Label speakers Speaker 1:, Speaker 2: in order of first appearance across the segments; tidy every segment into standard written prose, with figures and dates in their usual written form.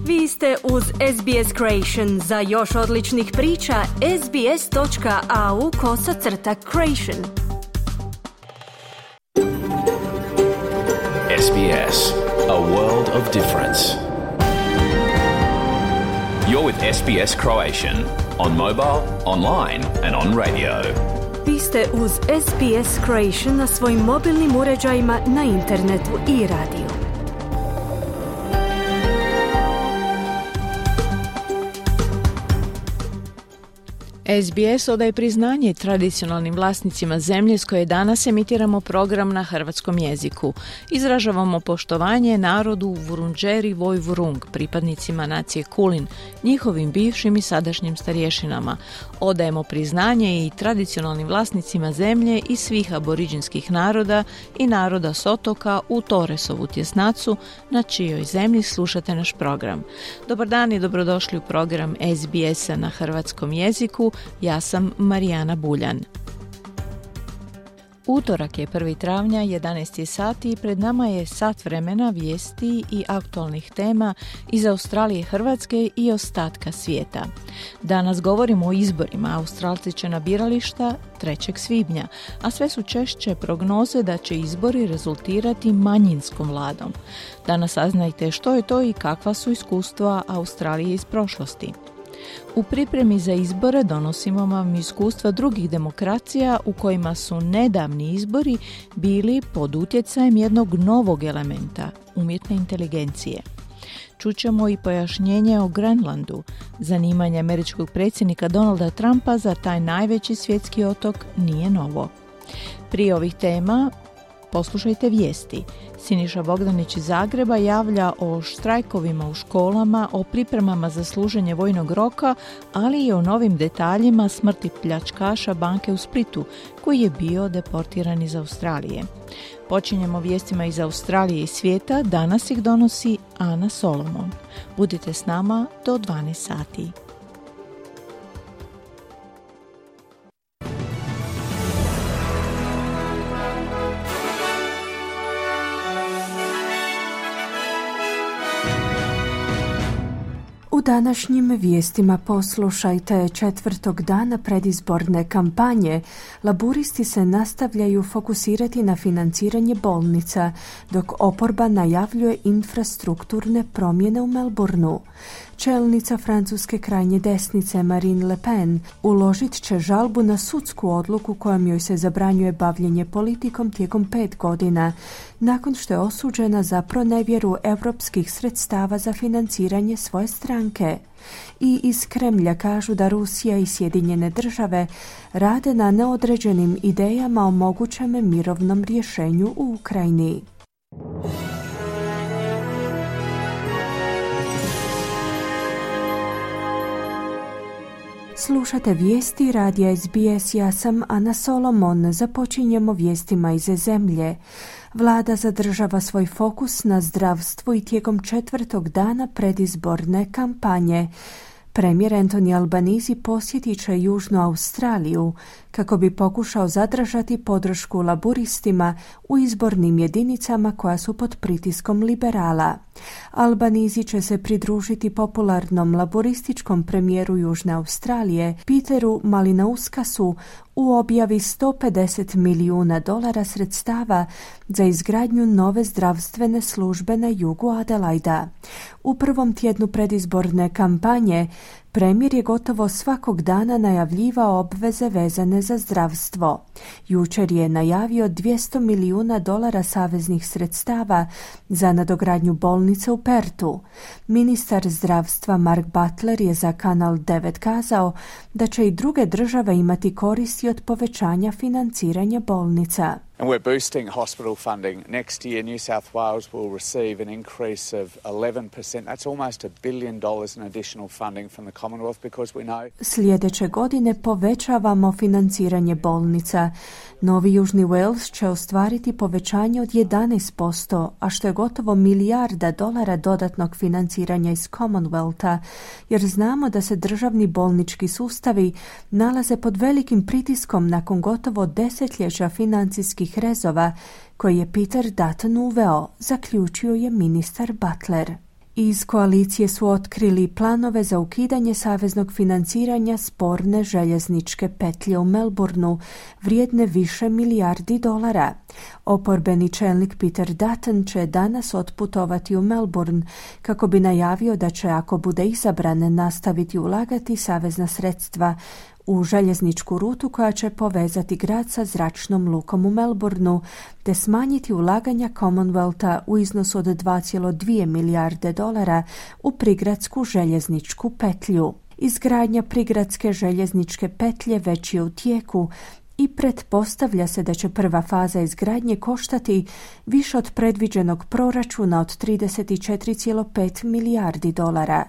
Speaker 1: Vi ste uz SBS Creation. Za još odličnih priča, sbs.au/creation.
Speaker 2: SBS, a world of difference. You're with SBS Croatian on mobile, online and on radio.
Speaker 1: Vi ste uz SBS Creation na svojim mobilnim uređajima, na internetu i radiju.
Speaker 3: SBS odaje priznanje tradicionalnim vlasnicima zemlje s koje danas emitiramo program na hrvatskom jeziku. Izražavamo poštovanje narodu Vurundjeri Woi-wurrung, pripadnicima nacije Kulin, njihovim bivšim i sadašnjim starješinama. Odajemo priznanje i tradicionalnim vlasnicima zemlje i svih aboriđinskih naroda i naroda s otoka u Torresovu tjesnacu, na čijoj zemlji slušate naš program. Dobar dan i dobrodošli u program SBS-a na hrvatskom jeziku. Ja sam Marijana Buljan. Utorak je 1. travnja, 11 sati i pred nama je sat vremena vijesti i aktualnih tema iz Australije, Hrvatske i ostatka svijeta. Danas govorimo o izborima. Australci će na birališta 3. svibnja, a sve su češće prognoze da će izbori rezultirati manjinskom vladom. Danas saznajte što je to i kakva su iskustva Australije iz prošlosti. U pripremi za izbore donosimo vam iskustva drugih demokracija u kojima su nedavni izbori bili pod utjecajem jednog novog elementa, umjetne inteligencije. Čućemo i pojašnjenje o Grenlandu. Zanimanje američkog predsjednika Donalda Trumpa za taj najveći svjetski otok nije novo. Prije ovih tema poslušajte vijesti. Siniša Bogdanić iz Zagreba javlja o štrajkovima u školama, o pripremama za služenje vojnog roka, ali i o novim detaljima smrti pljačkaša banke u Splitu, koji je bio deportiran iz Australije. Počinjemo vijestima iz Australije i svijeta, danas ih donosi Ana Solomon. Budite s nama do 12 sati.
Speaker 1: U današnjim vijestima poslušajte: četvrtog dana predizborne kampanje, laburisti se nastavljaju fokusirati na financiranje bolnica, dok oporba najavljuje infrastrukturne promjene u Melbourneu. Čelnica francuske krajnje desnice Marine Le Pen uložit će žalbu na sudsku odluku kojom joj se zabranjuje bavljenje politikom tijekom 5 godina, nakon što je osuđena za pronevjeru europskih sredstava za financiranje svoje stranke. I iz Kremlja kažu da Rusija i Sjedinjene države rade na neodređenim idejama o mogućem mirovnom rješenju u Ukrajini. Slušate vijesti radija SBS, ja sam Ana Solomon. Započinjemo vijestima iz zemlje. Vlada zadržava svoj fokus na zdravstvu i tijekom četvrtog dana predizborne kampanje. Premijer Anthony Albanese posjetit će Južnu Australiju kako bi pokušao zadržati podršku laburistima u izbornim jedinicama koja su pod pritiskom liberala. Albanese će se pridružiti popularnom laburističkom premijeru Južne Australije Peteru Malinauskasu u objavi $150 milijuna sredstava za izgradnju nove zdravstvene službe na jugu Adelaida. U prvom tjednu predizborne kampanje premijer je gotovo svakog dana najavljivao obveze vezane za zdravstvo. Jučer je najavio $200 milijuna saveznih sredstava za nadogradnju bolnice u Pertu. Ministar zdravstva Mark Butler je za Kanal 9 kazao da će i druge države imati koristi od povećanja financiranja bolnica.
Speaker 4: And we're boosting hospital funding. Next year, New South Wales will receive an increase of 11%. That's almost $1 billion in additional funding from the Commonwealth because we know...
Speaker 1: Sljedeće godine povećavamo financiranje bolnica. Novi Južni Wales će ostvariti povećanje od 11%, a što je gotovo $1 milijarda dodatnog financiranja iz Commonwealtha, jer znamo da se državni bolnički sustavi nalaze pod velikim pritiskom nakon gotovo desetljeća financijskih rezova koje je Peter Dutton uveo, zaključio je ministar Butler. Iz koalicije su otkrili planove za ukidanje saveznog financiranja sporne željezničke petlje u Melbourneu, vrijedne više milijardi dolara. Oporbeni čelnik Peter Dutton će danas otputovati u Melbourne kako bi najavio da će, ako bude izabran, nastaviti ulagati savezna sredstva u željezničku rutu koja će povezati grad sa zračnom lukom u Melbourneu, te smanjiti ulaganja Commonwealtha u iznosu od 2,2 milijarde dolara u prigradsku željezničku petlju. Izgradnja prigradske željezničke petlje već je u tijeku i pretpostavlja se da će prva faza izgradnje koštati više od predviđenog proračuna od 34,5 milijardi dolara.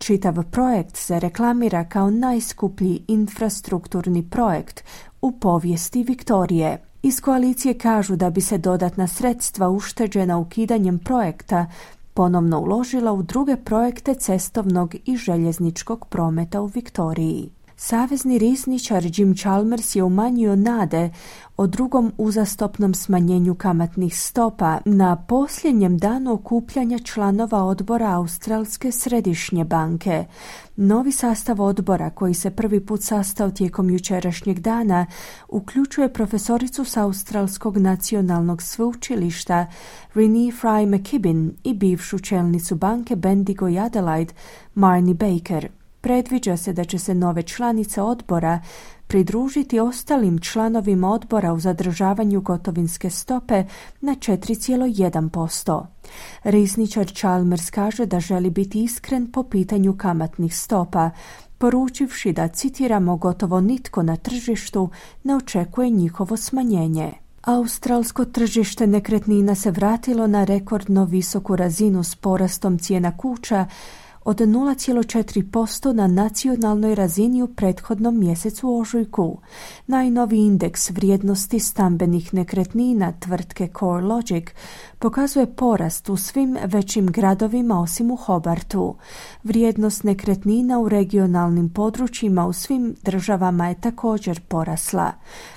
Speaker 1: Čitav projekt se reklamira kao najskuplji infrastrukturni projekt u povijesti Viktorije. Iz koalicije kažu da bi se dodatna sredstva ušteđena ukidanjem projekta ponovno uložila u druge projekte cestovnog i željezničkog prometa u Viktoriji. Savezni rizničar Jim Chalmers je umanjio nade o drugom uzastopnom smanjenju kamatnih stopa na posljednjem danu okupljanja članova odbora Australske središnje banke. Novi sastav odbora, koji se prvi put sastao tijekom jučerašnjeg dana, uključuje profesoricu s Australskog nacionalnog sveučilišta Renee Fry McKibben i bivšu čelnicu banke Bendigo i Adelaide Marnie Baker. Predviđa se da će se nove članice odbora pridružiti ostalim članovima odbora u zadržavanju gotovinske stope na 4,1%. Rizničar Chalmers kaže da želi biti iskren po pitanju kamatnih stopa, poručivši da, citiramo, gotovo nitko na tržištu ne očekuje njihovo smanjenje. Australsko tržište nekretnina se vratilo na rekordno visoku razinu s porastom cijena kuća od 0,4% na nacionalnoj razini u prethodnom mjesecu ožujku. Najnoviji indeks vrijednosti stambenih nekretnina tvrtke CoreLogic pokazuje porast u svim većim gradovima osim u Hobartu. Vrijednost nekretnina u regionalnim područjima u svim državama je također porasla.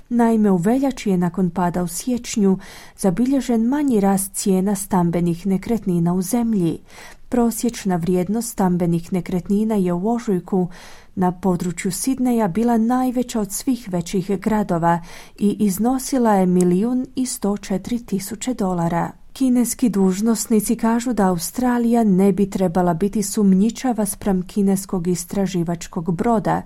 Speaker 1: Naime, u veljači je nakon pada u siječnju zabilježen manji rast cijena stambenih nekretnina u zemlji. Prosječna vrijednost stambenih nekretnina je u ožujku na području Sidneja bila najveća od svih većih gradova i iznosila je $1.104.000. Kineski dužnosnici kažu da Australija ne bi trebala biti sumnjičava spram kineskog istraživačkog broda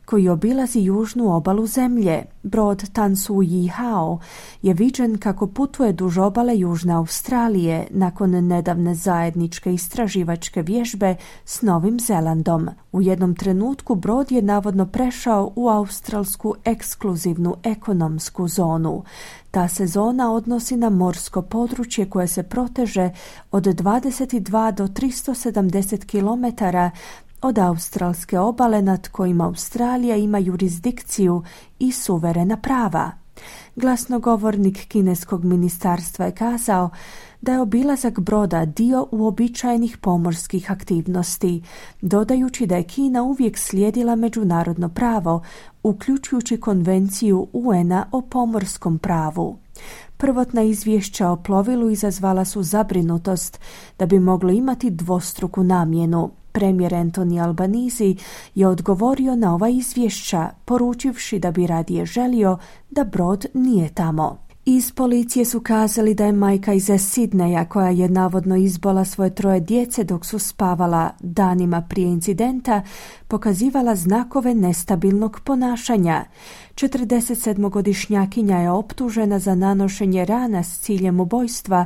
Speaker 1: koji obilazi južnu obalu zemlje. Brod Tan Su Yi Hao je viđen kako putuje duž obale Južne Australije nakon nedavne zajedničke istraživačke vježbe s Novim Zelandom. U jednom trenutku brod je navodno prešao u australsku ekskluzivnu ekonomsku zonu. Ta se zona odnosi na morsko područje koje se proteže od 22 do 370 km od australske obale nad kojima Australija ima jurisdikciju i suverena prava. Glasnogovornik kineskog ministarstva je kazao da je obilazak broda dio uobičajenih pomorskih aktivnosti, dodajući da je Kina uvijek slijedila međunarodno pravo, uključujući konvenciju UN-a o pomorskom pravu. Prvotna izvješća o plovilu izazvala su zabrinutost da bi moglo imati dvostruku namjenu. Premijer Anthony Albanese je odgovorio na ova izvješća, poručivši da bi radije želio da brod nije tamo. Iz policije su kazali da je majka iz Sidneja, koja je navodno izbola svoje 3 djece dok su spavala danima prije incidenta, pokazivala znakove nestabilnog ponašanja. 47-godišnjakinja je optužena za nanošenje rana s ciljem ubojstva,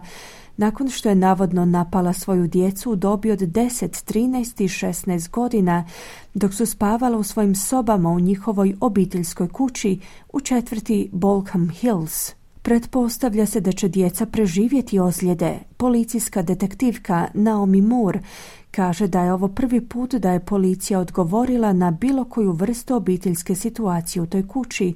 Speaker 1: nakon što je navodno napala svoju djecu u dobi od 10, 13 i 16 godina, dok su spavala u svojim sobama u njihovoj obiteljskoj kući u četvrti Balcombe Hills. Pretpostavlja se da će djeca preživjeti ozljede. Policijska detektivka Naomi Moore kaže da je ovo prvi put da je policija odgovorila na bilo koju vrstu obiteljske situacije u toj kući,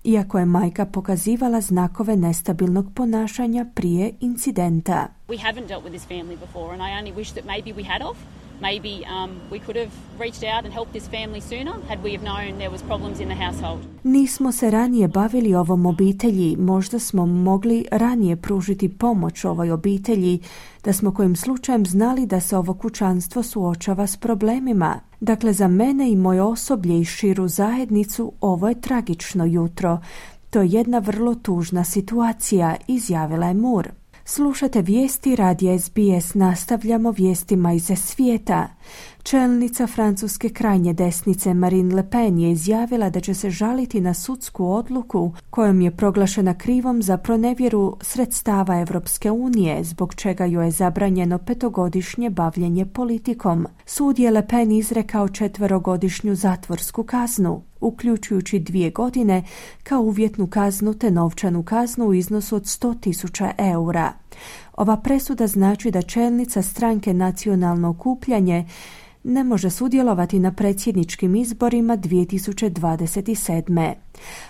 Speaker 1: iako je majka pokazivala znakove nestabilnog ponašanja prije incidenta.
Speaker 5: We haven't dealt with this family before and I only wish that maybe we had of. Maybe we could have reached out and helped this family sooner had we have known there was problems in the household.
Speaker 1: Nismo se ranije bavili ovom obitelji, možda smo mogli ranije pružiti pomoć ovoj obitelji, da smo kojim slučajem znali da se ovo kućanstvo suočava s problemima. Dakle, za mene i moje osoblje i širu zajednicu ovo je tragično jutro. To je jedna vrlo tužna situacija, izjavila je Moore. Slušate vijesti radija SBS, nastavljamo vijestima iz svijeta. Čelnica francuske krajnje desnice Marine Le Pen je izjavila da će se žaliti na sudsku odluku kojom je proglašena krivom za pronevjeru sredstava Europske unije, zbog čega joj je zabranjeno 5-godišnje bavljenje politikom. Sud je Le Pen izrekao 4-godišnju zatvorsku kaznu, uključujući 2 godine kao uvjetnu kaznu te novčanu kaznu u iznosu od 100.000 eura. Ova presuda znači da čelnica stranke Nacionalno okupljanje ne može sudjelovati na predsjedničkim izborima 2027.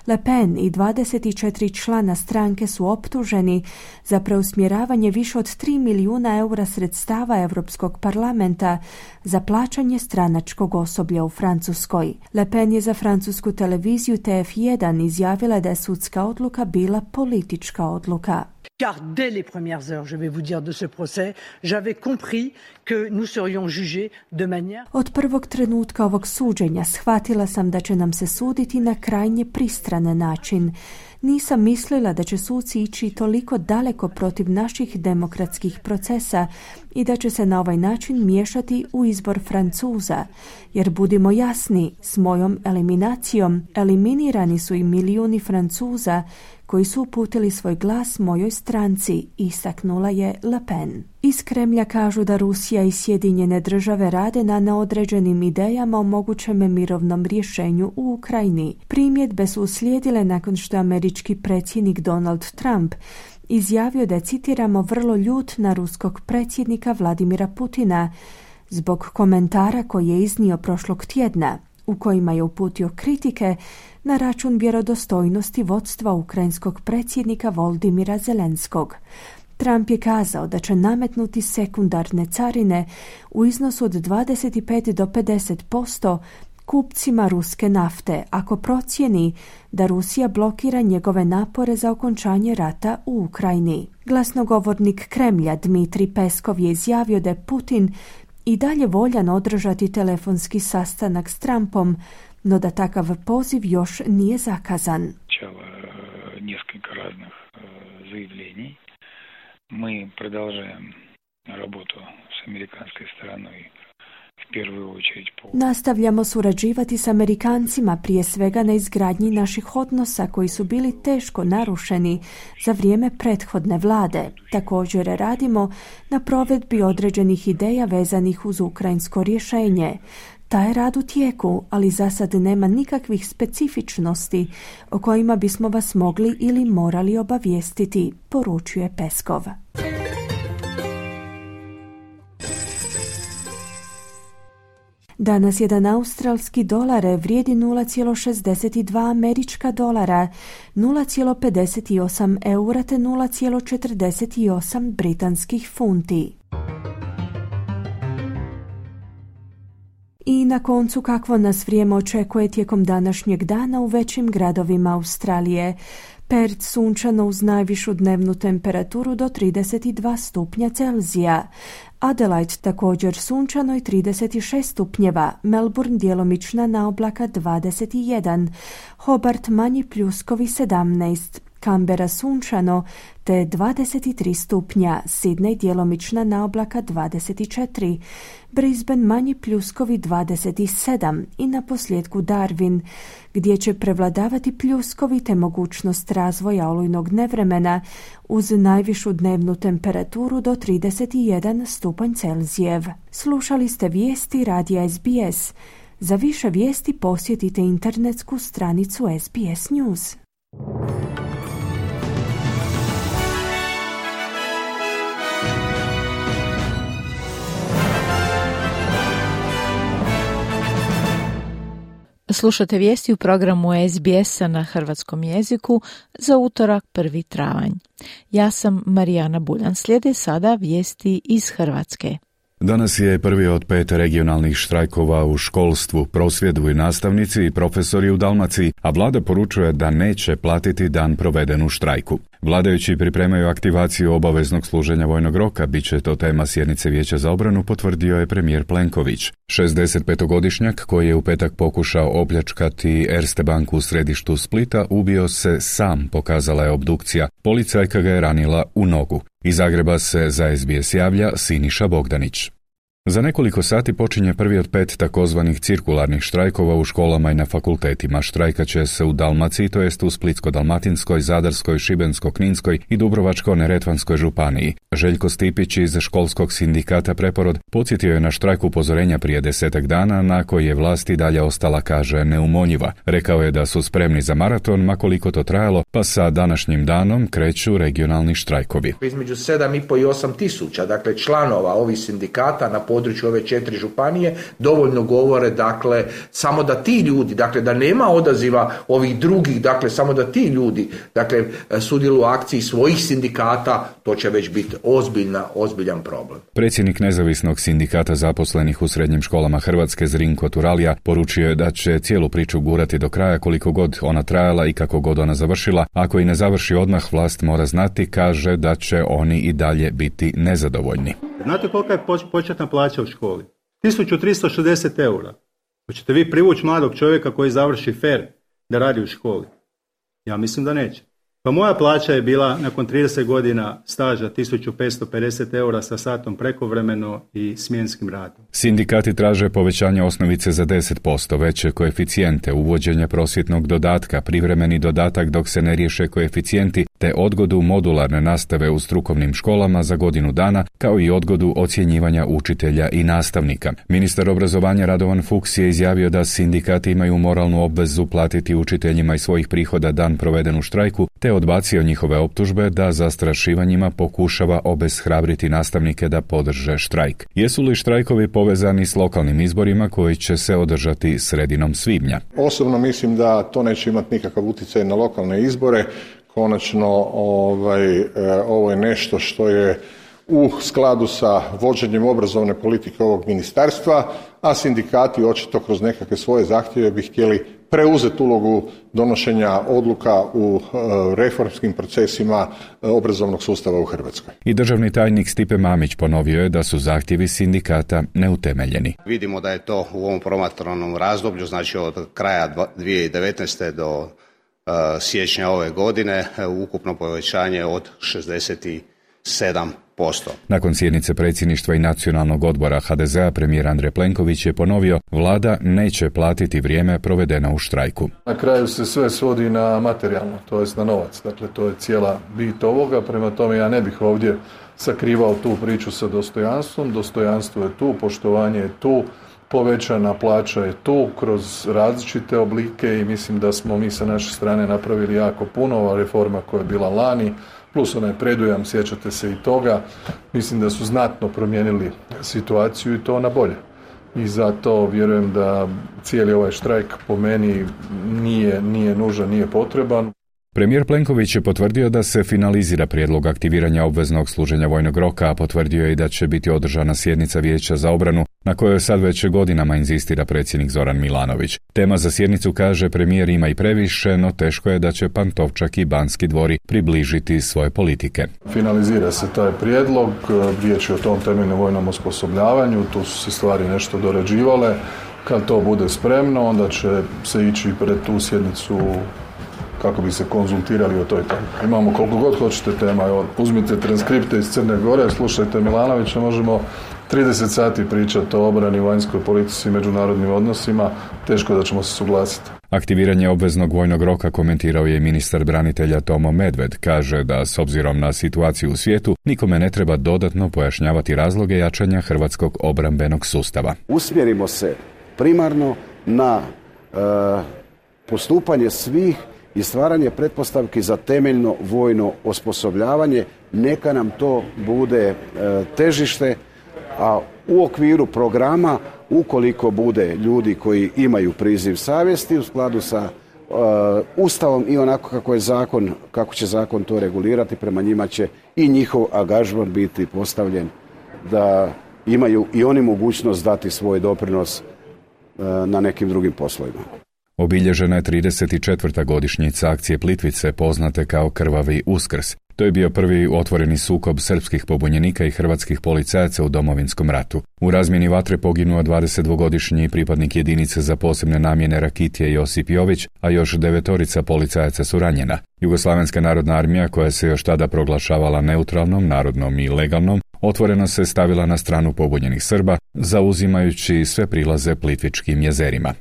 Speaker 1: Le Pen i 24 člana stranke su optuženi za preusmjeravanje više od 3 milijuna eura sredstava Europskog parlamenta za plaćanje stranačkog osoblja u Francuskoj. Le Pen je za francusku televiziju TF1 izjavila da je sudska odluka bila politička odluka.
Speaker 6: Car dès les premières heures, je vais vous dire, de ce procès, j'avais compris que nous serions jugés de manière...
Speaker 1: Od prvog trenutka ovog suđenja shvatila sam da će nam se suditi na krajnje pristran način. Nisam mislila da će suci ići toliko daleko protiv naših demokratskih procesa i da će se na ovaj način miješati u izbor Francuza. Jer budimo jasni, s mojom eliminacijom eliminirani su i milijuni Francuza koji su uputili svoj glas mojoj stranci, istaknula je Le Pen. Iz Kremlja kažu da Rusija i Sjedinjene države rade na neodređenim idejama o mogućem mirovnom rješenju u Ukrajini. Primjedbe su uslijedile nakon što je američki predsjednik Donald Trump izjavio da je, citiramo, vrlo ljut na ruskog predsjednika Vladimira Putina zbog komentara koji je iznio prošlog tjedna, u kojima je uputio kritike na račun vjerodostojnosti vodstva ukrajinskog predsjednika Volodymyra Zelenskog. Trump je kazao da će nametnuti sekundarne carine u iznosu od 25 do 50% kupcima ruske nafte ako procijeni da Rusija blokira njegove napore za okončanje rata u Ukrajini. Glasnogovornik Kremlja Dmitrij Peskov je izjavio da je Putin i dalje voljan održati telefonski sastanak s Trumpom, no da takav poziv još nije zakazan.
Speaker 7: Несколько разных заявлений. Мы продолжаем работу с американской стороной.
Speaker 1: Nastavljamo surađivati s Amerikancima, prije svega na izgradnji naših odnosa koji su bili teško narušeni za vrijeme prethodne vlade. Također radimo na provedbi određenih ideja vezanih uz ukrajinsko rješenje. Taj rad u tijeku, ali za sad nema nikakvih specifičnosti o kojima bismo vas mogli ili morali obavijestiti, poručuje Peskov. Danas jedan australski dolar vrijedi 0,62 američka dolara, 0,58 eura te 0,48 britanskih funti. I na koncu, kakvo nas vrijeme očekuje tijekom današnjeg dana u većim gradovima Australije. Perth sunčano uz najvišu dnevnu temperaturu do 32 stupnja Celzija. Adelaide također sunčano i 36 stupnjeva, Melbourne djelomična naoblaka 21, Hobart manji pljuskovi 17, Canberra sunčano te 23 stupnja, Sydney djelomična naoblaka 24, Brisbane manji pljuskovi 27 i na posljedku Darwin, gdje će prevladavati pljuskovi te mogućnost razvoja olujnog nevremena uz najvišu dnevnu temperaturu do 31 stupanj Celzijev. Slušali ste vijesti radija SBS. Za više vijesti posjetite internetsku stranicu SBS News.
Speaker 3: Slušate vijesti u programu SBS-a na hrvatskom jeziku za utorak 1. travanj. Ja sam Marijana Buljan. Slijede sada vijesti iz Hrvatske.
Speaker 8: Danas je prvi od 5 regionalnih štrajkova u školstvu, prosvjeduju nastavnici i profesori u Dalmaciji, a vlada poručuje da neće platiti dan proveden u štrajku. Vladajući pripremaju aktivaciju obaveznog služenja vojnog roka, bit će to tema sjednice Vijeća za obranu, potvrdio je premijer Plenković. 65-godišnjak koji je u petak pokušao opljačkati Erste banku u središtu Splita ubio se sam, pokazala je obdukcija. Policajka ga je ranila u nogu. Iz Zagreba se za SBS javlja Siniša Bogdanić. Za nekoliko sati počinje prvi od 5 takozvanih cirkularnih štrajkova u školama i na fakultetima. Štrajkat će se u Dalmaciji, to jest u Splitsko-dalmatinskoj, Zadarskoj, Šibensko-kninskoj i Dubrovačko-neretvanskoj županiji. Željko Stipić iz školskog sindikata Preporod podsjetio je na štrajk upozorenja prije 10 dana na koji je vlast i dalje ostala, kaže, neumonjiva. Rekao je da su spremni za maraton, ma koliko to trajalo, pa sa današnjim danom kreću regionalni štrajkovi.
Speaker 9: Između 7,5 i 8 tisuća, dakle, članova ovih sindikata na području ove 4 županije dovoljno govore, dakle, samo da ti ljudi, dakle, da nema odaziva ovih drugih, dakle, samo da ti ljudi, dakle, sudjeluju u akciji svojih sindikata, to će već biti ozbiljan problem.
Speaker 8: Predsjednik nezavisnog sindikata zaposlenih u srednjim školama Hrvatske Zrinko Turalija poručio je da će cijelu priču gurati do kraja koliko god ona trajala i kako god ona završila. Ako i ne završi odmah, vlast mora znati, kaže, da će oni i dalje biti nezadovoljni.
Speaker 10: Znate kolika je početna plaća u školi? 1360 eura. Hoćete vi privući mladog čovjeka koji završi FER da radi u školi? Ja mislim da neće. Pa moja plaća je bila nakon 30 godina staža 1550 eura sa satom prekovremeno i smjenskim radom.
Speaker 8: Sindikati traže povećanje osnovice za 10%, veće koeficijente, uvođenje prosvjetnog dodatka, privremeni dodatak dok se ne riješe koeficijenti, te odgodu modularne nastave u strukovnim školama za godinu dana, kao i odgodu ocjenjivanja učitelja i nastavnika. Ministar obrazovanja Radovan Fuchs je izjavio da sindikati imaju moralnu obvezu platiti učiteljima iz svojih prihoda dan proveden u štrajku, te odbacio njihove optužbe da zastrašivanjima pokušava obeshrabriti nastavnike da podrže štrajk. Jesu li štrajkovi povezani s lokalnim izborima koji će se održati sredinom svibnja?
Speaker 11: Osobno mislim da to neće imati nikakav utjecaj na lokalne izbore. Konačno, ovo je nešto što je u skladu sa vođenjem obrazovne politike ovog ministarstva, a sindikati očito kroz nekakve svoje zahtjeve bi htjeli preuzeti ulogu donošenja odluka u reformskim procesima obrazovnog sustava u Hrvatskoj.
Speaker 8: I državni tajnik Stipe Mamić ponovio je da su zahtjevi sindikata neutemeljeni.
Speaker 12: Vidimo da je to u ovom promatranom razdoblju, znači od kraja 2019. do siječnja ove godine, ukupno povećanje od 67%.
Speaker 8: Nakon sjednice predsjedništva i nacionalnog odbora HDZ-a, premijer Andrej Plenković je ponovio, vlada neće platiti vrijeme provedeno u štrajku.
Speaker 13: Na kraju se sve svodi na materijalno, to jest na novac. Dakle, to je cijela bit ovoga, prema tome ja ne bih ovdje sakrivao tu priču sa dostojanstvom. Dostojanstvo je tu, poštovanje je tu, povećana plaća je tu kroz različite oblike i mislim da smo mi sa naše strane napravili jako puno. Ova reforma koja je bila lani, plus onaj predujam, sjećate se i toga, mislim da su znatno promijenili situaciju i to na bolje. I zato vjerujem da cijeli ovaj štrajk po meni nije nužan, nije potreban.
Speaker 8: Premijer Plenković je potvrdio da se finalizira prijedlog aktiviranja obveznog služenja vojnog roka, a potvrdio je i da će biti održana sjednica Vijeća za obranu, na kojoj sad već godinama inzistira predsjednik Zoran Milanović. Tema za sjednicu, kaže premijer, ima i previše, no teško je da će Pantovčak i Banski dvori približiti svoje politike.
Speaker 13: Finalizira se taj prijedlog, riječ je o tom temeljnom vojnom osposobljavanju, tu su se stvari nešto dorađivale. Kad to bude spremno, onda će se ići pred tu sjednicu kako bi se konzultirali o toj temi. Imamo koliko god hoćete tema. Evo, uzmite transkripte iz Crne Gore, slušajte Milanovića, možemo 30 sati pričati o obrani, vanjskoj politici i međunarodnim odnosima. Teško da ćemo se suglasiti.
Speaker 8: Aktiviranje obveznog vojnog roka komentirao je ministar branitelja Tomo Medved. Kaže da s obzirom na situaciju u svijetu nikome ne treba dodatno pojašnjavati razloge jačanja hrvatskog obrambenog sustava.
Speaker 14: Usmjerimo se primarno na postupanje svih i stvaranje pretpostavki za temeljno vojno osposobljavanje. Neka nam to bude težište, a u okviru programa, ukoliko bude ljudi koji imaju priziv savjesti u skladu sa Ustavom i onako kako je zakon, kako će zakon to regulirati, prema njima će i njihov angažman biti postavljen da imaju i oni mogućnost dati svoj doprinos na nekim drugim poslovima.
Speaker 8: Obilježena je 34. godišnjica akcije Plitvice, poznate kao Krvavi Uskrs. To je bio prvi otvoreni sukob srpskih pobunjenika i hrvatskih policajaca u Domovinskom ratu. U razmjeni vatre poginuo 22-godišnji pripadnik jedinice za posebne namjene Rakitije Josip Jović, a još 9 policajaca su ranjena. Jugoslavenska narodna armija, koja se još tada proglašavala neutralnom, narodnom i legalnom, otvoreno se stavila na stranu pobunjenih Srba, zauzimajući sve prilaze Plitvičkim jezerima.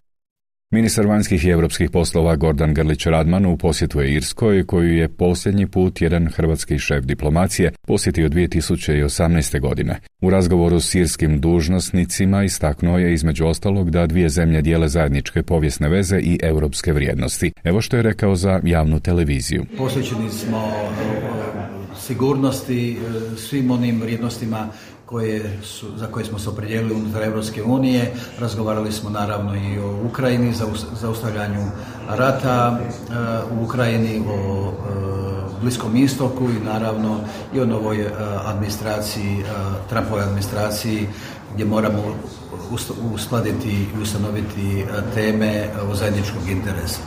Speaker 8: Ministar vanjskih i europskih poslova Gordan Grlić Radman u posjetu je Irskoj, koju je posljednji put jedan hrvatski šef diplomacije posjetio 2018. godine. U razgovoru s irskim dužnosnicima istaknuo je između ostalog da dvije zemlje dijele zajedničke povijesne veze i europske vrijednosti. Evo što je rekao za javnu televiziju.
Speaker 15: Posvećeni smo sigurnosti, svim onim vrijednostima za koje smo se opredijelili unutar Europske unije. Razgovarali smo naravno i o Ukrajini, zaustavljanju rata u Ukrajini, o Bliskom istoku i naravno i o novoj administraciji, Trumpovoj administraciji, gdje moramo uskladiti i ustanoviti teme od zajedničkog interesa.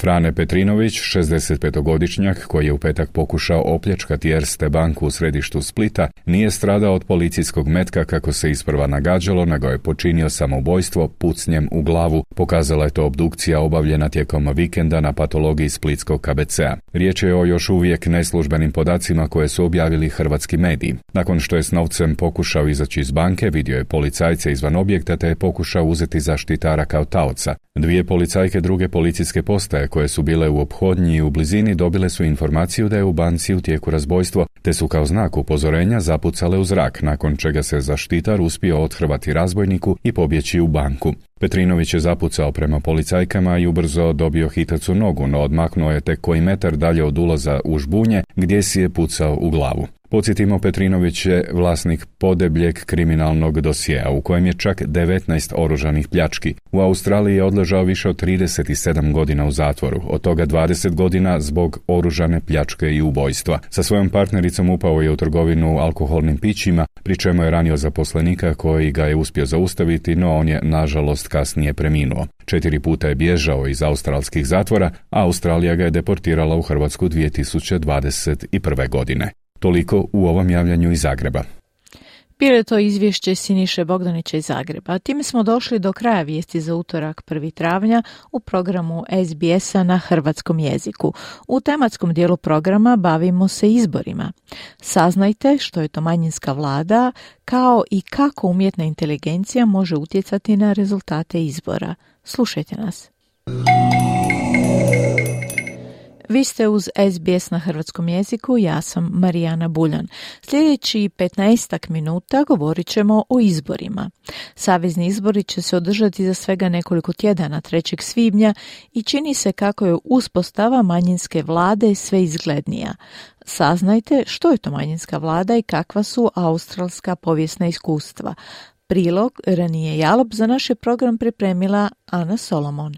Speaker 8: Frane Petrinović, 65-godišnjak, koji je u petak pokušao opljačkati Erste banku u središtu Splita, nije stradao od policijskog metka kako se isprva nagađalo, nego je počinio samoubojstvo pucnjem u glavu. Pokazala je to obdukcija obavljena tijekom vikenda na patologiji splitskog KBC-a. Riječ je o još uvijek neslužbenim podacima koje su objavili hrvatski mediji. Nakon što je s novcem pokušao izaći iz banke, vidio je policajce izvan objekta te je pokušao uzeti zaštitara kao taoca. Dvije policajke druge policijske postaje koje su bile u ophodnji i u blizini dobile su informaciju da je u banci u tijeku razbojstvo, te su kao znak upozorenja zapucale u zrak, nakon čega se zaštitar uspio othrvati razbojniku i pobjeći u banku. Petrinović je zapucao prema policajkama i ubrzo dobio hitac u nogu, no odmaknuo je tek koji metar dalje od ulaza u žbunje, gdje si je pucao u glavu. Podsjetimo, Petrinović je vlasnik podebljeg kriminalnog dosjea u kojem je čak 19 oružanih pljački. U Australiji je odležao više od 37 godina u zatvoru, od toga 20 godina zbog oružane pljačke i ubojstva. Sa svojom partnericom upao je u trgovinu alkoholnim pićima, pri čemu je ranio zaposlenika koji ga je uspio zaustaviti, no on je nažalost kasnije preminuo. 4 puta je bježao iz australskih zatvora, a Australija ga je deportirala u Hrvatsku 2021. godine. Toliko u ovom javljanju iz Zagreba.
Speaker 3: Bilo je to izvješće Siniše Bogdanića iz Zagreba. Time smo došli do kraja vijesti za utorak 1. travnja u programu SBS-a na hrvatskom jeziku. U tematskom dijelu programa bavimo se izborima. Saznajte što je to manjinska vlada, kao i kako umjetna inteligencija može utjecati na rezultate izbora. Slušajte nas. Vi ste uz SBS na hrvatskom jeziku, ja sam Marijana Buljan. Sljedeći 15 minuta govorit ćemo o izborima. Savezni izbori će se održati za svega nekoliko tjedana 3. svibnja i čini se kako je uspostava manjinske vlade sve izglednija. Saznajte što je to manjinska vlada i kakva su australska povijesna iskustva. Prilog Ranije Jalop za naš je program pripremila Ana Solomon.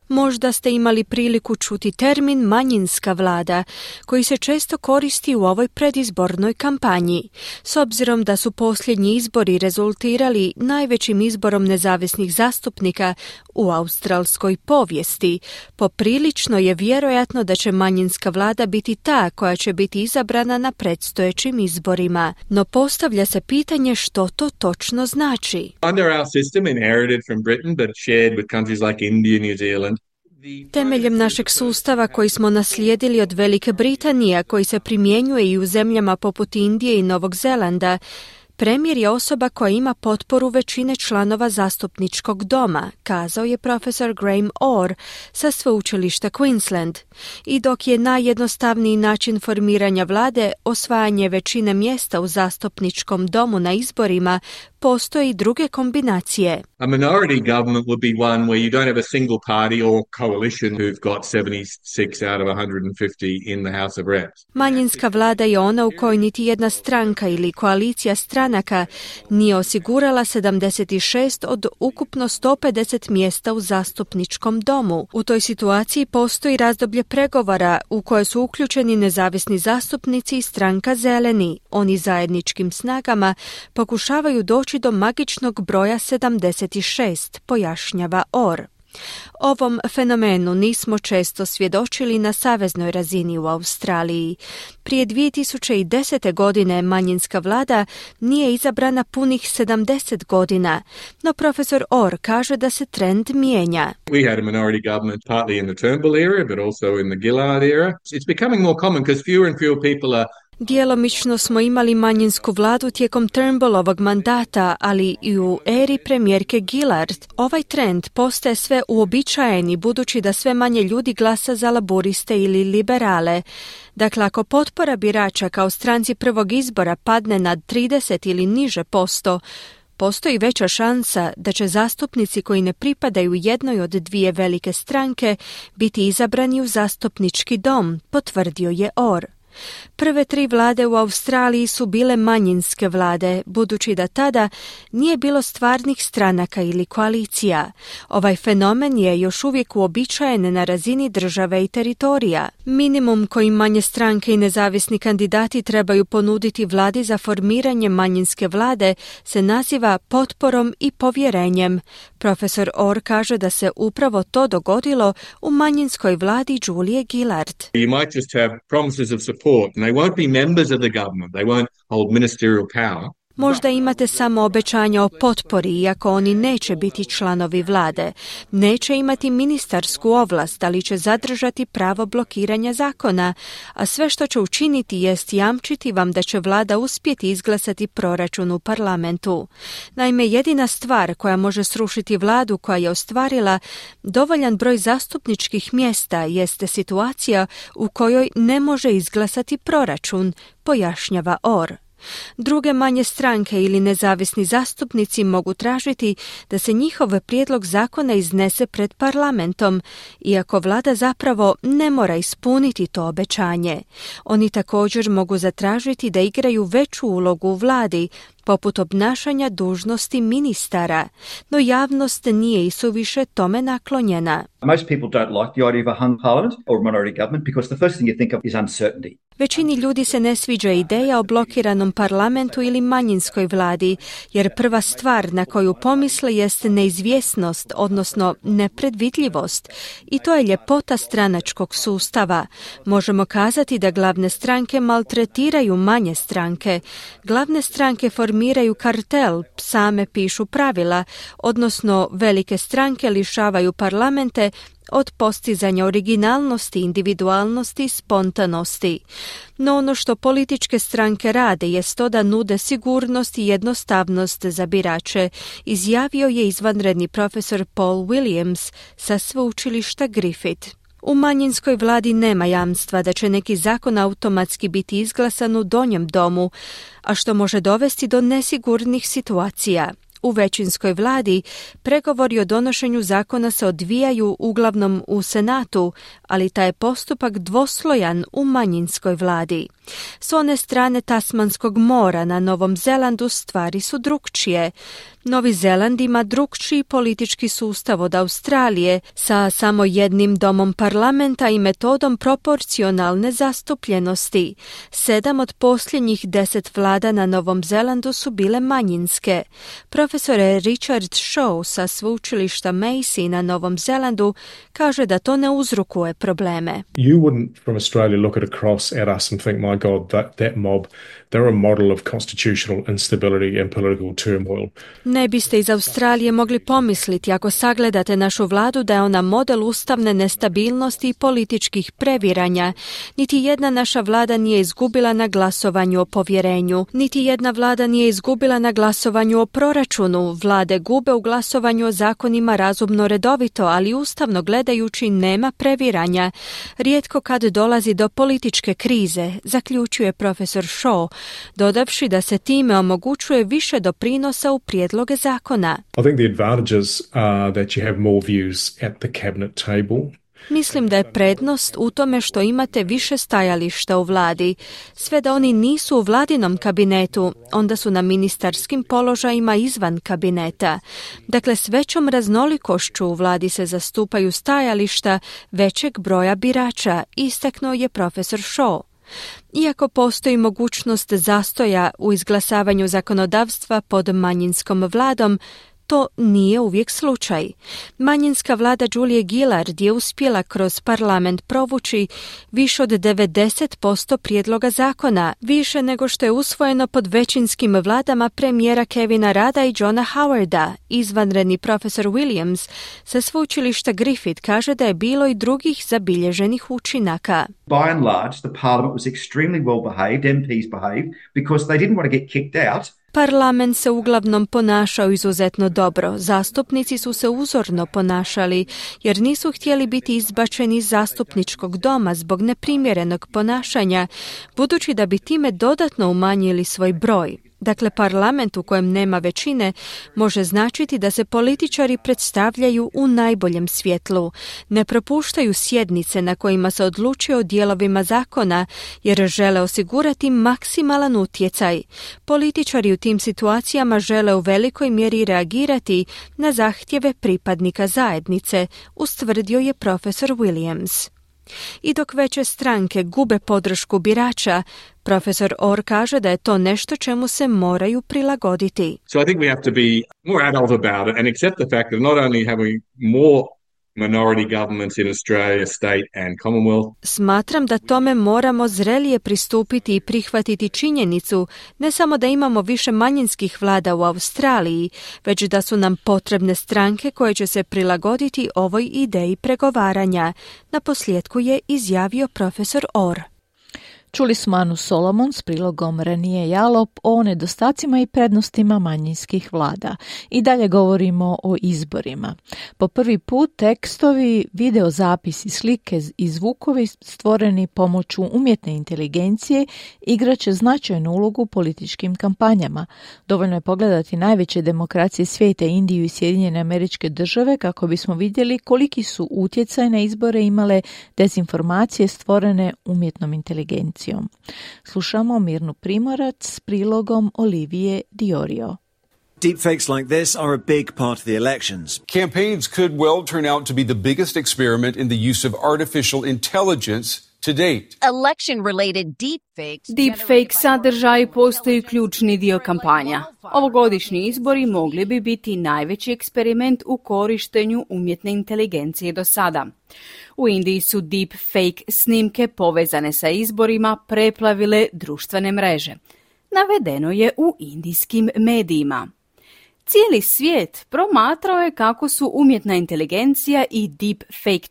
Speaker 1: Možda ste imali priliku čuti termin manjinska vlada, koji se često koristi u ovoj predizbornoj kampanji. S obzirom da su posljednji izbori rezultirali najvećim izborom nezavisnih zastupnika u australskoj povijesti, poprilično je vjerojatno da će manjinska vlada biti ta koja će biti izabrana na predstojećim izborima. No postavlja se pitanje što to točno znači.
Speaker 16: Under our system inherited from Britain but shared with countries like India, New Zealand.
Speaker 1: Temeljem našeg sustava koji smo naslijedili od Velike Britanije, koji se primjenjuje i u zemljama poput Indije i Novog Zelanda, premijer je osoba koja ima potporu većine članova zastupničkog doma, kazao je profesor Graham Orr sa sveučilišta Queensland. I dok je najjednostavniji način formiranja vlade osvajanje većine mjesta u zastupničkom domu na izborima, postoje i druge kombinacije.
Speaker 16: A minority government would be one where you don't have a single party or coalition who've got 76 out of 150 in the House of Reps.
Speaker 1: Manjinska vlada je ona u kojoj niti jedna stranka ili koalicija stranaka stranaka nije osigurala 76 od ukupno 150 mjesta u zastupničkom domu. U toj situaciji postoji razdoblje pregovora u koje su uključeni nezavisni zastupnici i stranka Zeleni. Oni zajedničkim snagama pokušavaju doći do magičnog broja 76, pojašnjava Orr. Ovom fenomenu nismo često svjedočili na saveznoj razini u Australiji. Prije 2010. godine manjinska vlada nije izabrana punih 70 godina, no profesor Orr kaže da se trend mijenja.
Speaker 16: We had a minority government partly in the Turnbull era, but also in the Gillard era. It's becoming more common because fewer and fewer people are
Speaker 1: Djelomično smo imali manjinsku vladu tijekom Turnbullovog mandata, ali i u eri premijerke Gillard. Ovaj trend postaje sve uobičajeni budući da sve manje ljudi glasa za laburiste ili liberale. Dakle, ako potpora birača kao stranci prvog izbora padne na 30 ili niže posto, postoji veća šansa da će zastupnici koji ne pripadaju jednoj od dvije velike stranke biti izabrani u zastupnički dom, potvrdio je Orr. Prve 3 vlade u Australiji su bile manjinske vlade, budući da tada nije bilo stvarnih stranaka ili koalicija. Ovaj fenomen je još uvijek uobičajen na razini države i teritorija. Minimum koji manje stranke i nezavisni kandidati trebaju ponuditi vladi za formiranje manjinske vlade se naziva potporom i povjerenjem. Profesor Orr kaže da se upravo to dogodilo u manjinskoj vladi Julie Gillard.
Speaker 16: You might just have promises of support and they won't be members of the government. They won't hold ministerial power.
Speaker 1: Možda imate samo obećanja o potpori, iako oni neće biti članovi vlade. Neće imati ministarsku ovlast, ali će zadržati pravo blokiranja zakona, a sve što će učiniti jest jamčiti vam da će vlada uspjeti izglasati proračun u parlamentu. Naime, jedina stvar koja može srušiti vladu koja je ostvarila dovoljan broj zastupničkih mjesta jeste situacija u kojoj ne može izglasati proračun, pojašnjava Orr. Druge manje stranke ili nezavisni zastupnici mogu tražiti da se njihov prijedlog zakona iznese pred parlamentom, iako vlada zapravo ne mora ispuniti to obećanje. Oni također mogu zatražiti da igraju veću ulogu u vladi, poput obnašanja dužnosti ministara, no javnost nije isuviše tome naklonjena.
Speaker 17: Most people don't like the idea of a hung parliament or a minority government because the first thing you think of is uncertainty.
Speaker 1: Većini ljudi se ne sviđa ideja o blokiranom parlamentu ili manjinskoj vladi, jer prva stvar na koju pomisle jest neizvjesnost, odnosno nepredvidljivost. I to je ljepota stranačkog sustava. Možemo kazati da glavne stranke maltretiraju manje stranke. Glavne stranke formiraju kartel, same pišu pravila, odnosno velike stranke lišavaju parlamente od postizanja originalnosti, individualnosti i spontanosti. No ono što političke stranke rade jest to da nude sigurnost i jednostavnost za birače, izjavio je izvanredni profesor Paul Williams sa sveučilišta Griffith. U manjinskoj vladi nema jamstva da će neki zakon automatski biti izglasan u donjem domu, a što može dovesti do nesigurnih situacija. U većinskoj vladi pregovori o donošenju zakona se odvijaju uglavnom u Senatu, ali taj je postupak dvoslojan u manjinskoj vladi. S one strane Tasmanskog mora na Novom Zelandu stvari su drukčije. Novi Zeland ima drukčiji politički sustav od Australije sa samo jednim domom parlamenta i metodom proporcionalne zastupljenosti. 7 od posljednjih 10 vlada na Novom Zelandu su bile manjinske. Profesor Richard Shaw sa sveučilišta Massey na Novom Zelandu kaže da to ne uzrokuje probleme.
Speaker 18: You wouldn't from Australia look at a cross at us and think, my God, that mob, they're a model of constitutional instability and political turmoil.
Speaker 1: Ne biste iz Australije mogli pomisliti ako sagledate našu vladu da je ona model ustavne nestabilnosti i političkih previranja. Niti jedna naša vlada nije izgubila na glasovanju o povjerenju. Niti jedna vlada nije izgubila na glasovanju o proračunu. Vlade gube u glasovanju o zakonima razumno redovito, ali ustavno gledajući nema previranja. Rijetko kad dolazi do političke krize, zaključuje profesor Shaw, dodavši da se time omogućuje više doprinosa u prijedloge zakona.
Speaker 18: I think the advantages are that you have more views at the cabinet table.
Speaker 1: Mislim da je prednost u tome što imate više stajališta u vladi. Sve da oni nisu u vladinom kabinetu, onda su na ministarskim položajima izvan kabineta. Dakle, s većom raznolikošću u vladi se zastupaju stajališta većeg broja birača, istaknuo je profesor Shaw. Iako postoji mogućnost zastoja u izglasavanju zakonodavstva pod manjinskom vladom, to nije uvijek slučaj. Manjinska vlada Julie Gillard je uspjela kroz parlament provući više od 90% prijedloga zakona, više nego što je usvojeno pod većinskim vladama premijera Kevina Rudda i Johna Howarda. Izvanredni profesor Williams sa sveučilišta Griffith kaže da je bilo i drugih zabilježenih učinaka.
Speaker 17: By and large, the parliament was extremely well behaved, MPs behaved, because they didn't want to get kicked out.
Speaker 1: Parlament se uglavnom ponašao izuzetno dobro. Zastupnici su se uzorno ponašali jer nisu htjeli biti izbačeni iz zastupničkog doma zbog neprimjerenog ponašanja, budući da bi time dodatno umanjili svoj broj. Dakle, parlament u kojem nema većine može značiti da se političari predstavljaju u najboljem svjetlu. Ne propuštaju sjednice na kojima se odlučuje o dijelovima zakona jer žele osigurati maksimalan utjecaj. Političari u tim situacijama žele u velikoj mjeri reagirati na zahtjeve pripadnika zajednice, ustvrdio je profesor Williams. I dok veće stranke gube podršku birača, profesor Orr kaže da je to nešto čemu se moraju prilagoditi.
Speaker 16: So I think we have to be more adult about it and accept the fact that not only have we more minority governments in Australia, state and Commonwealth.
Speaker 1: Smatram da tome moramo zrelije pristupiti i prihvatiti činjenicu ne samo da imamo više manjinskih vlada u Australiji, već da su nam potrebne stranke koje će se prilagoditi ovoj ideji pregovaranja. Naposljetku je izjavio profesor Orr.
Speaker 3: Čuli smo Anu Solomon s prilogom Renije Jalop o nedostacima i prednostima manjinskih vlada. I dalje govorimo o izborima. Po prvi put tekstovi, videozapisi, slike i zvukovi stvoreni pomoću umjetne inteligencije igraće značajnu ulogu u političkim kampanjama. Dovoljno je pogledati najveće demokracije svijeta, Indiju i Sjedinjene Američke Države, kako bismo vidjeli koliki su utjecaj na izbore imale dezinformacije stvorene umjetnom inteligencijom. Slušamo Mirnu Primorac s prilogom Olivije Diorio.
Speaker 19: Deepfakes like this are a big part of the elections.
Speaker 20: Campaigns could well turn out to be the biggest experiment in the use of artificial intelligence to date.
Speaker 21: Election-related deepfakes.
Speaker 22: Deepfake sadržaj postoji ključni dio kampanja. Ovogodišnji izbori mogli bi biti najveći eksperiment u korištenju umjetne inteligencije do sada. U Indiji su deepfake snimke povezane sa izborima preplavile društvene mreže. Navedeno je u indijskim medijima. Cijeli svijet promatrao je kako su umjetna inteligencija i deepfake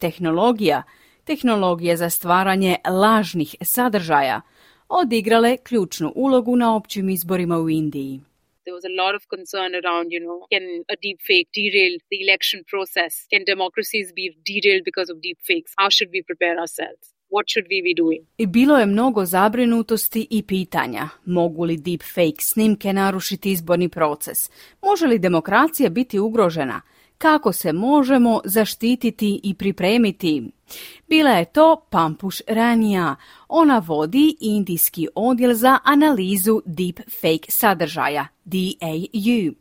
Speaker 22: tehnologija za stvaranje lažnih sadržaja, odigrale ključnu ulogu na općim izborima u Indiji.
Speaker 23: There was a lot of concern around, can a deepfake derail the election process? Can democracies be derailed because of deepfakes? How should we prepare ourselves? What should we be doing?
Speaker 22: I bilo je mnogo zabrinutosti i pitanja. Mogu li deepfake snimke narušiti izborni proces? Može li demokracija biti ugrožena? Kako se možemo zaštititi i pripremiti? Bila je to Pampush Rania. Ona vodi indijski odjel za analizu deepfake sadržaja, DAU.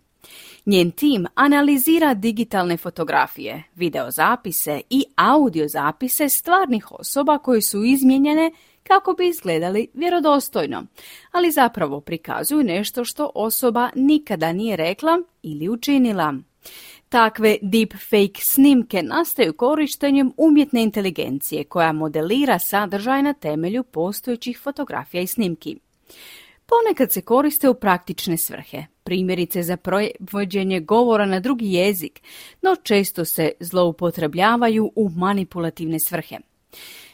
Speaker 22: Njen tim analizira digitalne fotografije, videozapise i audiozapise stvarnih osoba koje su izmijenjene kako bi izgledali vjerodostojno, ali zapravo prikazuju nešto što osoba nikada nije rekla ili učinila. Takve deepfake snimke nastaju korištenjem umjetne inteligencije koja modelira sadržaj na temelju postojećih fotografija i snimki. Ponekad se koriste u praktične svrhe, primjerice za prevođenje govora na drugi jezik, no često se zloupotrebljavaju u manipulativne svrhe.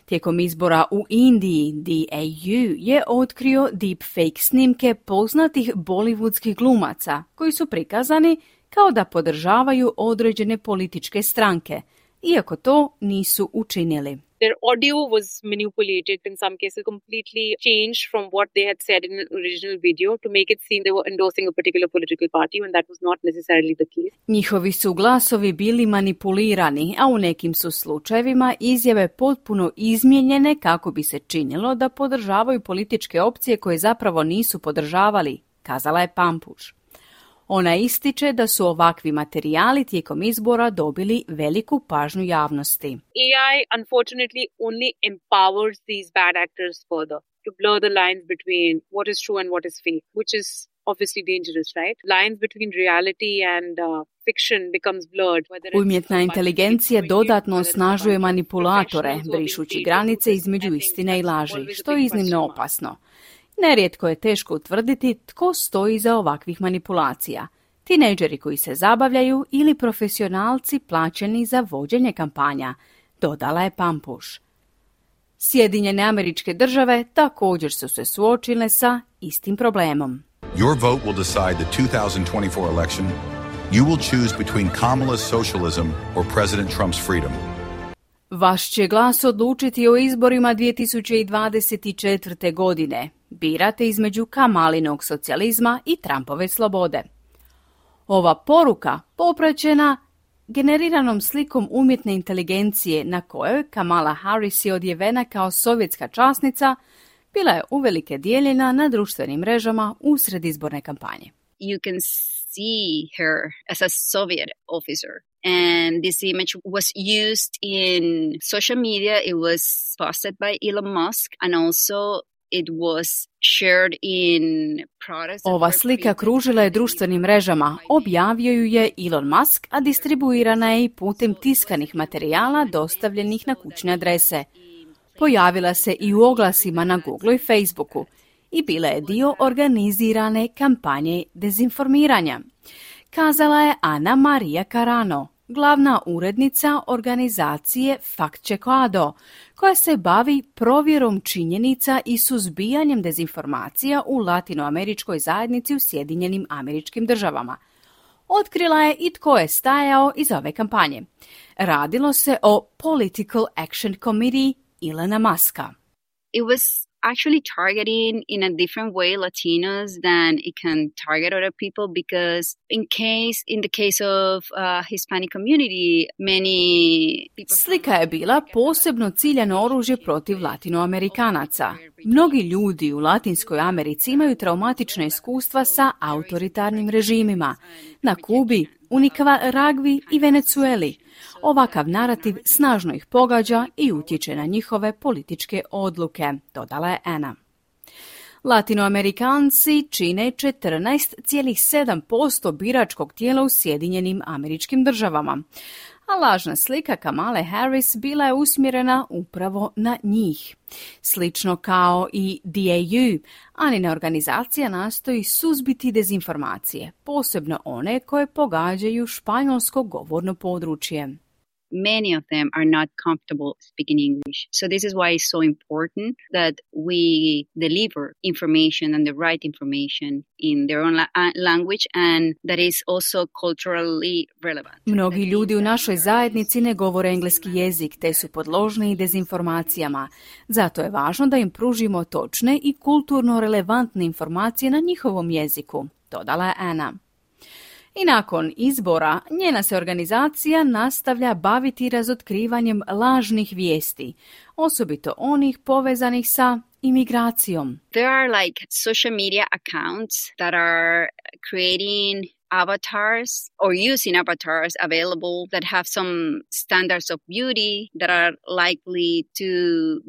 Speaker 22: Tijekom izbora u Indiji, DAU je otkrio deepfake snimke poznatih bollywoodskih glumaca koji su prikazani kao da podržavaju određene političke stranke, iako to nisu učinili.
Speaker 23: Their audio was manipulated, in some cases completely changed from what they had said in the original video to make it seem they were endorsing a particular political party when that was not necessarily the case.
Speaker 22: Njihovi su glasovi bili manipulirani, a u nekim su slučajevima izjave potpuno izmijenjene kako bi se činilo da podržavaju političke opcije koje zapravo nisu podržavali, kazala je Pampuš. Ona ističe da su ovakvi materijali tijekom izbora dobili veliku pažnju javnosti.
Speaker 23: AI unfortunately only empowers these bad actors further to blur the lines between what is true and what is fake, which is obviously dangerous, right? Lines between reality and fiction becomes blurred.
Speaker 22: Umjetna inteligencija dodatno osnažuje manipulatore, brišući granice između istine i laži, što je iznimno opasno. Nerijetko je teško utvrditi tko stoji iza ovakvih manipulacija. Tinejdžeri koji se zabavljaju ili profesionalci plaćeni za vođenje kampanja, dodala je Pampuš. Sjedinjene Američke Države također su se suočile sa istim problemom.
Speaker 2: Your vote will decide the 2024 election. You will choose between Kamala's socialism or President Trump's freedom.
Speaker 22: Vaš će glas odlučiti o izborima 2024. godine. Birate između Kamalinog socijalizma i Trumpove slobode. Ova poruka popraćena generiranom slikom umjetne inteligencije na kojoj Kamala Harris je odjevena kao sovjetska časnica, bila je uvelike dijeljena na društvenim mrežama usred izborne kampanje.
Speaker 4: You can see her as a Soviet officer. And this image was used in social media. It was posted by Elon Musk and also it was shared in products.
Speaker 22: Ova slika kružila je društvenim mrežama, objavio ju je Elon Musk, a distribuirana je i putem tiskanih materijala dostavljenih na kućne adrese. Pojavila se i u oglasima na Google i Facebooku i bila je dio organizirane kampanje dezinformiranja, kazala je Ana Maria Carano, glavna urednica organizacije FactCheckado, koja se bavi provjerom činjenica i suzbijanjem dezinformacija u latinoameričkoj zajednici u Sjedinjenim Američkim Državama. Otkrila je i tko je stajao iza ove kampanje. Radilo se o Political Action Committee Elona Muska.
Speaker 4: It was actually targeting in a different way Latinos than it can target other people because in the case of Hispanic community, many people...
Speaker 22: Slika je bila posebno ciljano oružje protiv Latinoamerikanaca. Mnogi ljudi u Latinskoj Americi imaju traumatična iskustva sa autoritarnim režimima. Na Kubi, u Nikaragvi i Venezueli. Ovakav narativ snažno ih pogađa i utječe na njihove političke odluke, dodala je Ana. Latinoamerikanci čine 14,7% biračkog tijela u Sjedinjenim Američkim Državama, a lažna slika Kamale Harris bila je usmjerena upravo na njih. Slično kao i DAU, Anina organizacija nastoji suzbiti dezinformacije, posebno one koje pogađaju španjolsko govorno područje.
Speaker 4: Many of them are not comfortable speaking English. So this is why it's so important that we deliver information and the right information in their own language and that is also culturally relevant.
Speaker 22: Mnogi ljudi u našoj zajednici ne govore engleski jezik te su podložni dezinformacijama. Zato je važno da im pružimo točne i kulturno relevantne informacije na njihovom jeziku, dodala je Ana. I nakon izbora njena se organizacija nastavlja baviti razotkrivanjem lažnih vijesti, osobito onih povezanih sa imigracijom.
Speaker 4: There are like social media accounts that are creating avatars or using avatars available that have some standards of beauty that are likely to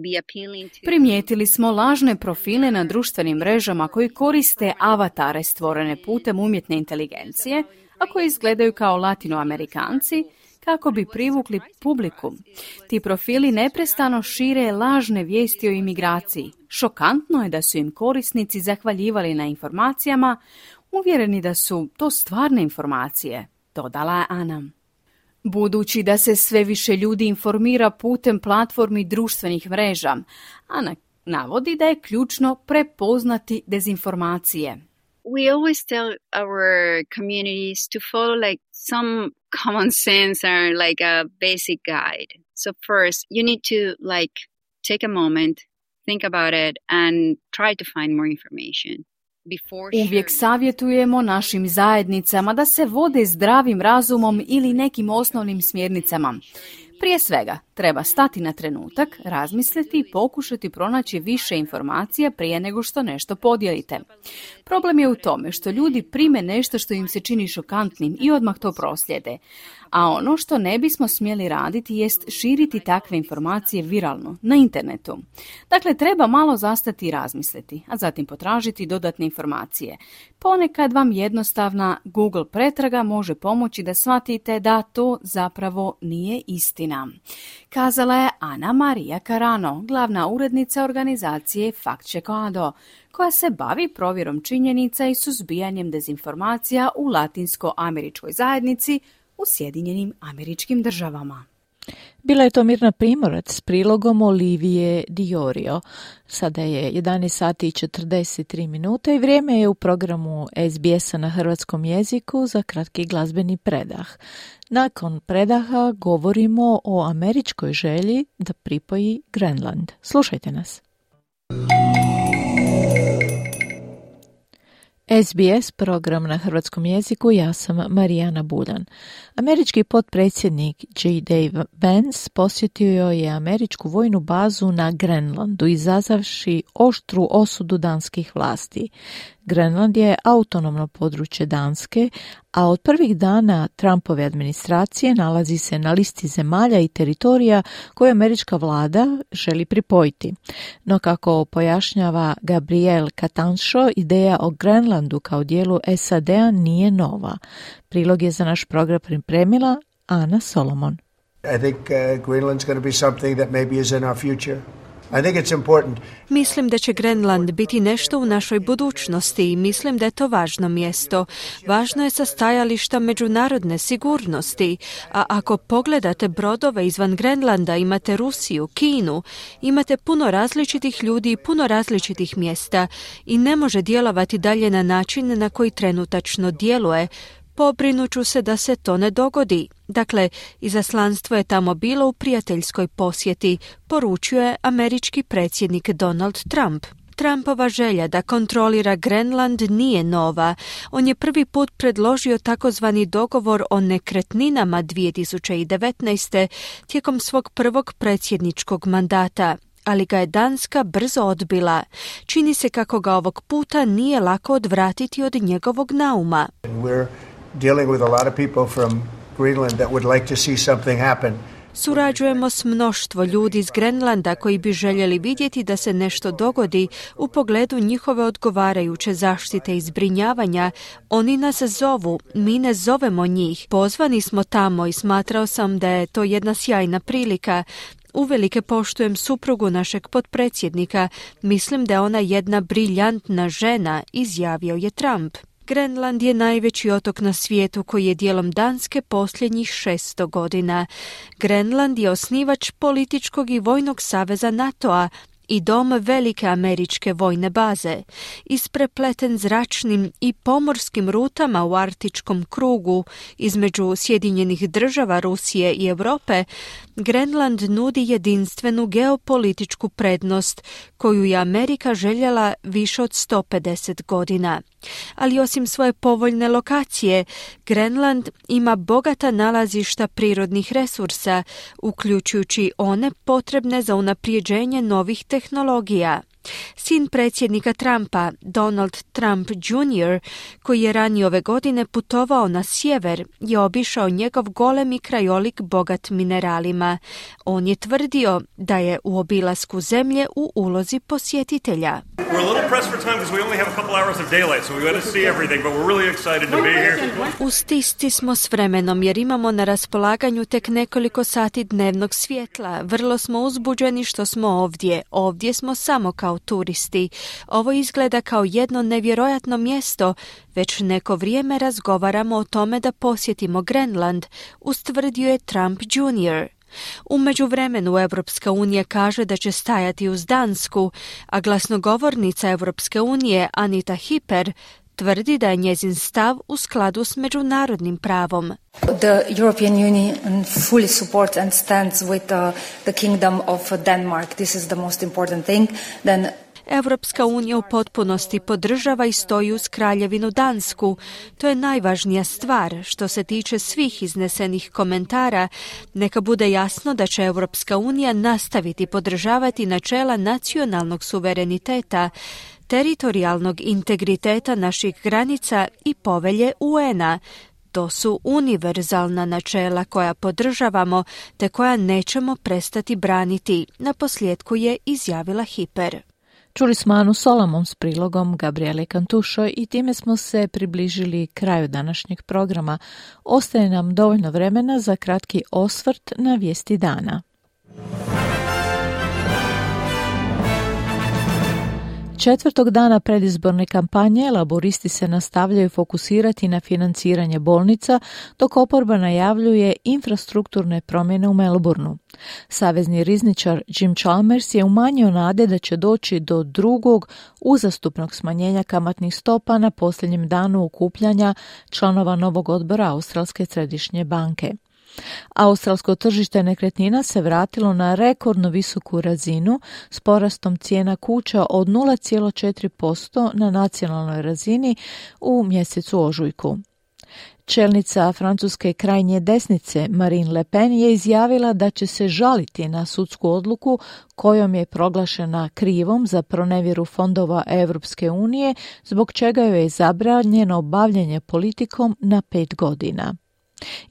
Speaker 4: be appealing to...
Speaker 22: Primijetili smo lažne profile na društvenim mrežama koji koriste avatare stvorene putem umjetne inteligencije, a koji izgledaju kao Latinoamerikanci, kako bi privukli publiku. Ti profili neprestano šire lažne vijesti o imigraciji. Šokantno je da su im korisnici zahvaljivali na informacijama, uvjereni da su to stvarne informacije, dodala je Ana. Budući da se sve više ljudi informira putem platformi društvenih mreža, Ana navodi da je ključno prepoznati dezinformacije.
Speaker 4: We always tell our communities to follow like some common sense or like a basic guide. So first, you need to take a moment, think about it, and try to find more information.
Speaker 22: Uvijek savjetujemo našim zajednicama da se vode zdravim razumom ili nekim osnovnim smjernicama. Prije svega, treba stati na trenutak, razmisliti i pokušati pronaći više informacija prije nego što nešto podijelite. Problem je u tome što ljudi prime nešto što im se čini šokantnim i odmah to proslijede. A ono što ne bismo smjeli raditi jest širiti takve informacije viralno, na internetu. Dakle, treba malo zastati i razmisliti, a zatim potražiti dodatne informacije. Ponekad vam jednostavna Google pretraga može pomoći da shvatite da to zapravo nije istina. Kazala je Ana Maria Carano, glavna urednica organizacije Fact Checkado, koja se bavi provjerom činjenica i suzbijanjem dezinformacija u latinsko-američkoj zajednici u Sjedinjenim Američkim Državama.
Speaker 3: Bila je to Mirna Primorac s prilogom Olivije Diorio. Sada je 11 sati i 43 minuta i vrijeme je u programu SBS-a na hrvatskom jeziku za kratki glazbeni predah. Nakon predaha govorimo o američkoj želji da pripoji Grenland. Slušajte nas. SBS program na hrvatskom jeziku, ja sam Marijana Buljan. Američki potpredsjednik J.D. Vance posjetio je američku vojnu bazu na Grenlandu, izazavši oštru osudu danskih vlasti. Grenland je autonomno područje Danske, a od prvih dana Trumpove administracije nalazi se na listi zemalja i teritorija koje američka vlada želi pripojiti. No kako pojašnjava Gabriel Catancho, ideja o Grenlandu kao dijelu SAD-a nije nova. Prilog je za naš program pripremila Ana Solomon.
Speaker 5: I think Greenland's going to be something that maybe is in our future. I think it's important.
Speaker 1: Mislim da će Grenland biti nešto u našoj budućnosti i mislim da je to važno mjesto. Važno je sa stajališta međunarodne sigurnosti, a ako pogledate brodove izvan Grenlanda, imate Rusiju, Kinu, imate puno različitih ljudi i puno različitih mjesta i ne može djelovati dalje na način na koji trenutačno djeluje. Pobrinuću se da se to ne dogodi. Dakle, izaslanstvo je tamo bilo u prijateljskoj posjeti, poručuje američki predsjednik Donald Trump. Trumpova želja da kontrolira Grenland nije nova. On je prvi put predložio takozvani dogovor o nekretninama 2019. tijekom svog prvog predsjedničkog mandata, ali ga je Danska brzo odbila. Čini se kako ga ovog puta nije lako odvratiti od njegovog nauma.
Speaker 5: Dealing with a lot of people from Greenland that would like to see something happen.
Speaker 1: Surađujemo s mnoštvo ljudi iz Grenlanda koji bi željeli vidjeti da se nešto dogodi u pogledu njihove odgovarajuće zaštite i zbrinjavanja. Oni nas zovu, mi ne zovemo njih. Pozvani smo tamo i smatrao sam da je to jedna sjajna prilika. Uvelike poštujem suprugu našeg potpredsjednika. Mislim da je ona jedna briljantna žena, izjavio je Trump. Grenland je najveći otok na svijetu koji je dijelom Danske posljednjih 600 godina. Grenland je osnivač političkog i vojnog saveza NATO-a i dom velike američke vojne baze. Isprepleten zračnim i pomorskim rutama u arktičkom krugu između Sjedinjenih Država, Rusije i Europe, Grenland nudi jedinstvenu geopolitičku prednost koju je Amerika željela više od 150 godina. Ali osim svoje povoljne lokacije, Grenland ima bogata nalazišta prirodnih resursa, uključujući one potrebne za unaprijeđenje novih tehnologija. Sin predsjednika Trumpa, Donald Trump Jr., koji je ranije ove godine putovao na sjever, je obišao njegov golemi krajolik bogat mineralima. On je tvrdio da je u obilasku zemlje u ulozi posjetitelja. U stisci smo s vremenom jer imamo na raspolaganju tek nekoliko sati dnevnog svjetla. Vrlo smo uzbuđeni što smo ovdje. Ovdje smo samo kao turisti. Ovo izgleda kao jedno nevjerojatno mjesto. Već neko vrijeme razgovaramo o tome da posjetimo Grenland, ustvrdio je Trump Jr. U međuvremenu Europska unija kaže da će stajati uz Dansku, a glasnogovornica Europske unije Anita Hyper tvrdi da je njezin stav u skladu s međunarodnim pravom.
Speaker 6: The European Union fully supports and stands with the Kingdom of Denmark. This is the most important thing. Then
Speaker 1: Evropska unija u potpunosti podržava i stoji uz Kraljevinu Dansku. To je najvažnija stvar. Što se tiče svih iznesenih komentara, neka bude jasno da će Evropska unija nastaviti podržavati načela nacionalnog suvereniteta, teritorijalnog integriteta naših granica i povelje UN-a. To su univerzalna načela koja podržavamo te koja nećemo prestati braniti, naposljetku je izjavila Hiper.
Speaker 3: Čuli smo Anu Solomon s prilogom Gabriele Cantušo i time smo se približili kraju današnjeg programa. Ostaje nam dovoljno vremena za kratki osvrt na vijesti dana. Četvrtog dana predizborne kampanje laboristi se nastavljaju fokusirati na financiranje bolnica, dok oporba najavljuje infrastrukturne promjene u Melbourneu. Savezni rizničar Jim Chalmers je umanjio nade da će doći do drugog uzastupnog smanjenja kamatnih stopa na posljednjem danu okupljanja članova novog odbora Australske središnje banke. Australsko tržište nekretnina se vratilo na rekordno visoku razinu s porastom cijena kuća od 0,4% na nacionalnoj razini u mjesecu ožujku. Čelnica francuske krajnje desnice Marine Le Pen je izjavila da će se žaliti na sudsku odluku kojom je proglašena krivom za pronevjeru fondova Europske unije, zbog čega joj je zabranjeno bavljenje politikom na 5 godina.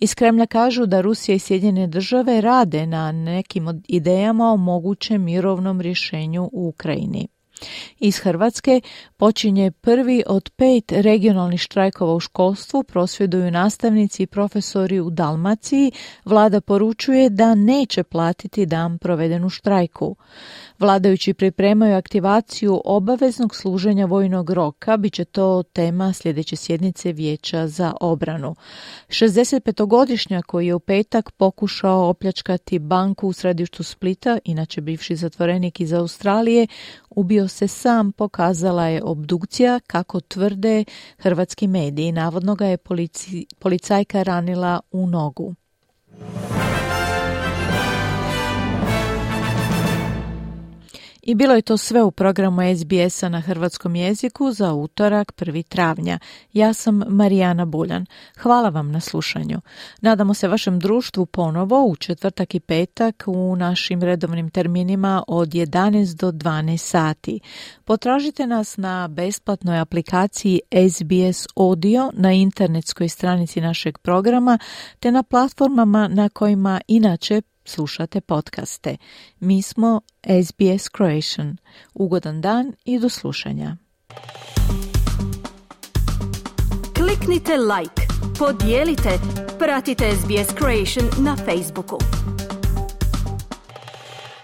Speaker 3: Iz Kremlja kažu da Rusija i Sjedinjene države rade na nekim idejama o mogućem mirovnom rješenju u Ukrajini. Iz Hrvatske počinje prvi od 5 regionalnih štrajkova u školstvu, prosvjeduju nastavnici i profesori u Dalmaciji. Vlada poručuje da neće platiti dan proveden u štrajku. Vladajući pripremaju aktivaciju obaveznog služenja vojnog roka, bit će to tema sljedeće sjednice Vijeća za obranu. 65-godišnjak koji je u petak pokušao opljačkati banku u središtu Splita, inače bivši zatvorenik iz Australije, ubio se sam, pokazala je obdukcija, kako tvrde hrvatski mediji. Navodno ga je policajka ranila u nogu. I bilo je to sve u programu SBS-a na hrvatskom jeziku za utorak 1. travnja. Ja sam Marijana Buljan. Hvala vam na slušanju. Nadamo se vašem društvu ponovo u četvrtak i petak u našim redovnim terminima od 11 do 12 sati. Potražite nas na besplatnoj aplikaciji SBS Audio na internetskoj stranici našeg programa te na platformama na kojima inače slušate podcaste. Mi smo SBS Croatian. Ugodan dan i do slušanja.
Speaker 1: Kliknite like, podijelite, pratite SBS Croatian na Facebooku.